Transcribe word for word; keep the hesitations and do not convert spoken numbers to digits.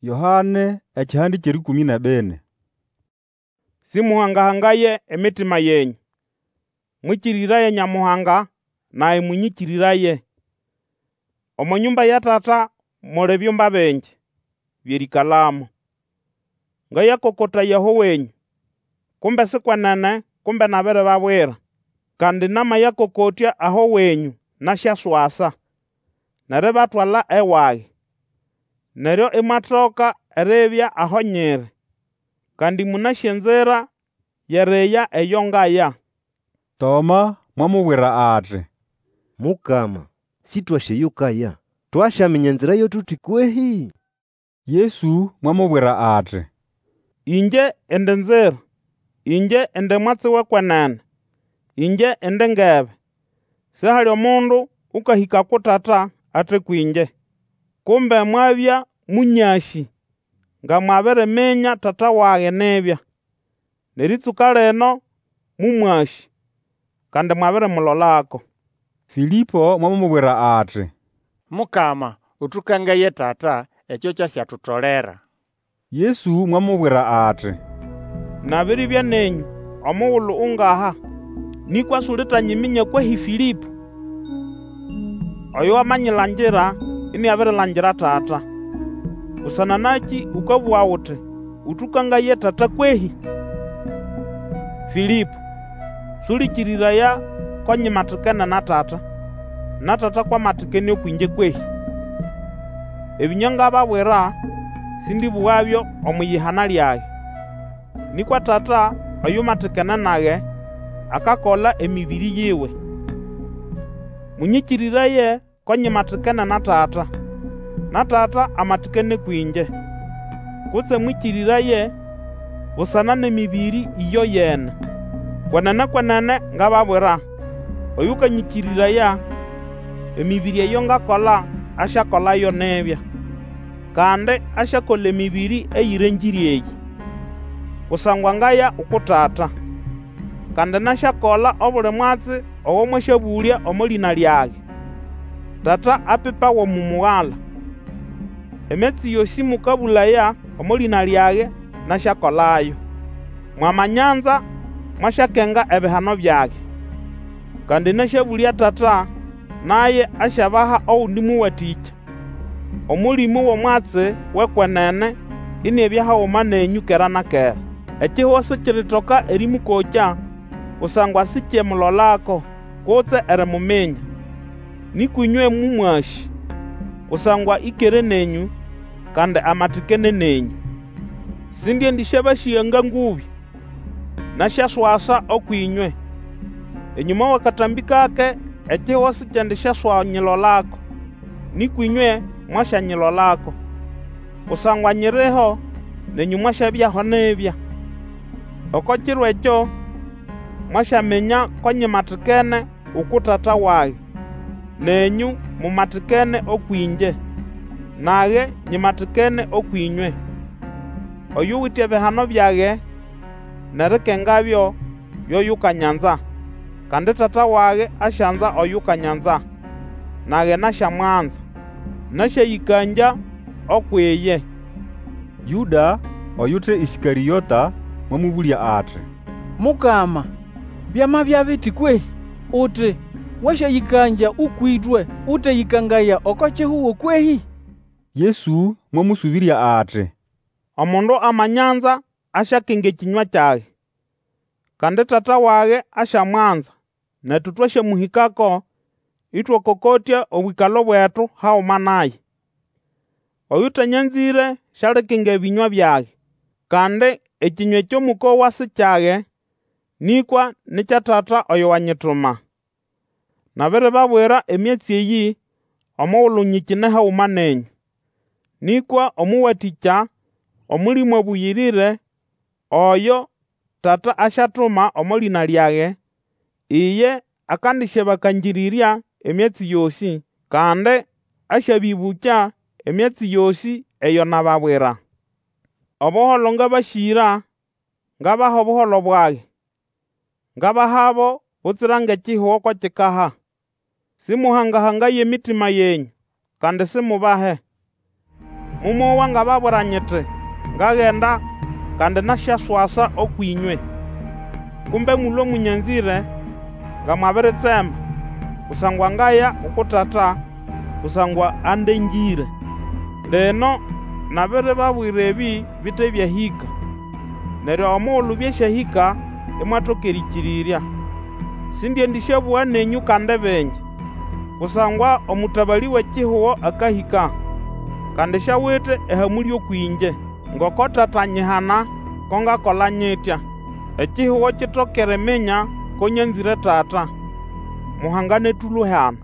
Yoane ekihande ky'erĩkũmĩ n'ebini. Sĩmũhanga-hangaye emitima yenyũ. Mwĩkĩrĩraye Nyamuhanga, nage mũnyĩkĩrĩraye. Omo nyũmba ya Tata muli byumba bingi by'erĩĩkalamo. Ngayakokotaya aho wenyũ. Kumbe si kwenene kumbe nabiribabwira. Kandi namayakokotya aho wenyũ nasyaswasa, n'eribatwala ewage. Neryo imwatoka eribya aho nyiri. Kandi mũnasĩ enzira y'eriya eyo ngaya. Toma mwamubwira ati, Mukama, Sĩtwasĩ eyo ukaya, twasyaminya enzira yo tuti kwehĩ? Yesu mwamubwira ati, Ĩngye indi nzira, ĩngye indi mwatsi w'ekwenene, ĩngye indi ngebe. Sihali omundu ũkahĩka uku Tata ate kwĩngye. Kumbe mwabya mũnyasĩ nga mwabiriminya Tata wage nibya. N'erĩtsũka lino mũmwasĩ, kandi mwabirimulolako. Fĩlĩpo mwamubwira ati, Mukama, ũtũkangaye Tata, ekyo kyasyatutolera. Yesu mwamubwira ati, Nabiribya nenyũ omugulu ungaha, nĩkwa sulitanyiminya kwehĩ Fĩlĩpo? Oyo wamanyilangira iniabirilangira Tata. Busana nakĩ ũkabũga uti, Ũtũkangaye Tata kwehĩ? Fĩlĩpo, sũlĩkĩrĩraya ko nyimatikene na Tata, na Tata kw'amatikene ũkw'ĩngye kwehĩ? Ebĩnywa ngababwira, sĩndĩbũgabyo omw'iyihana lyage. Nĩkwa Tata oyumatikene nage, akakola emĩbĩrĩ yiwe. Mũnyĩkĩrĩraye ko nyimatikene na Tata, na Tata amatikene kwĩngye. Kutse mwĩkĩrĩraye busana n'emĩbĩrĩ ĩyoyene. Kwenene, kwenene ngababwira, Oyũkanyĩkĩrĩraya, emĩbĩrĩ eyo ngakola asyakolayo nibya. Kandi asyakola emĩbĩrĩ eyĩrengĩre eyĩ, kusangwa ngaya uku Tata. Kandi nasyakola obuli mwatsi ogo mwasyabũlya omo lĩna lyage, Tata apipawe omo Mugala. Emyatsi yosĩ mũkabũlaya omo lĩna lyage, nasyakolayo. Mwamanyanza, mwasyakenga ebihano byage. Kandi nasyabũlya Tata, naye asyabaha ogundi Mũwatĩkya, Omũlĩmũ w'omwatsi w'ekwenene, iniabya haguma nenyũ kera na kera. Ekihugo sikiritoka erĩmũkokya, kusangwa sikyemulolako, kutse erimuminya. Nĩkwa ĩnywe mũmwasĩ, kusangwa ĩkere nenyũ, kandi amatikene nenyũ. Sindiendĩsyabasĩga nga ngũbĩ, nasyaswasa ũkw'ĩnywe. Enyũma w'akatambĩ kake ekihugo sikiendisyaswanyilolako, nĩkwa ĩnywe mwasyanyilolako. Kusangwa nyiriho, nenyũ mwasyabyaho nibya. Oko kiro ekyo mwasyaminya ko nyimatikene uku Tata wage, nenyũ mumatikene ũkw'ĩngye, nage nyimatikene ũkw'ĩnywe. Oyuwite ebihano byage n'erikengabyo, yo yukanyanza. Kandi Tata wage asyanza oyukanyanza, nage nasyamwanza, nasyayĩkangya ukw'iye. Yũda, oyute Ĩskarĩota, mwamũbũlya ati, Mukama, byamabya biti kwehĩ? Uti, Wasyayĩkangya ũkw'ĩtwe, ũteyĩkangaya oko kihugo kwehĩ? Yesu mwamũsũbĩrya ati, Omundu amanyanza asyakenga ekĩnywa kyage, kandi Tata wage asyamwanza, netu twasyamũhĩkako, ĩtwakokotya obwĩkalo bwetu haguma naye. Oyũtanyanzĩre sialikenga ebĩnywa byage. Kandi ekĩnywa ekyo mũkowa si kyage, nĩkwa ni kya Tata oyo wanyituma. Nabiribabwira emyatsi eyĩ omugulu nyikine haguma nenyũ. Nĩkwa Omũwatĩkya, Omũlĩmũ Abũyĩrĩre, oyo Tata asyatuma omo lĩna lyage, iye akandisyabakangĩrĩrya emyatsi yosĩ, kandi asyabĩbũkya emyatsi yosĩ eyo nababwira. Obuholo ngabasĩra, ngabaha obuholo bwage. Ngabahabo butsira ng'ekihugo ko kikaha. Sĩmũhanga-hangaye emitima yenyũ, kandi simubahe. Momowa ngababwira nyiti, Ngagenda, kandi nasyaswasa ũkw'ĩnywe. Kumbe mũlũe mũnyanzĩre, nga mwabiritsema, kusangwa ngaya uku Tata, kusangwa andengĩre. Lino nabiribabwira ebĩ bite byahĩka, neryo omugulu byasyahĩka imwatoka erĩkĩrĩrya. Sindiendĩsyabũga nenyũ kandi bingi, kusangwa omũtabalĩ w'ekihugo akahĩka, kandi siawite ehamũlĩ ũkw'ĩngye. Ngoko Tata anyihana, ko ngakola nyitya, ekihugo kitoke eriminya ko nyanzĩre Tata. Muhangane tũlũe hano.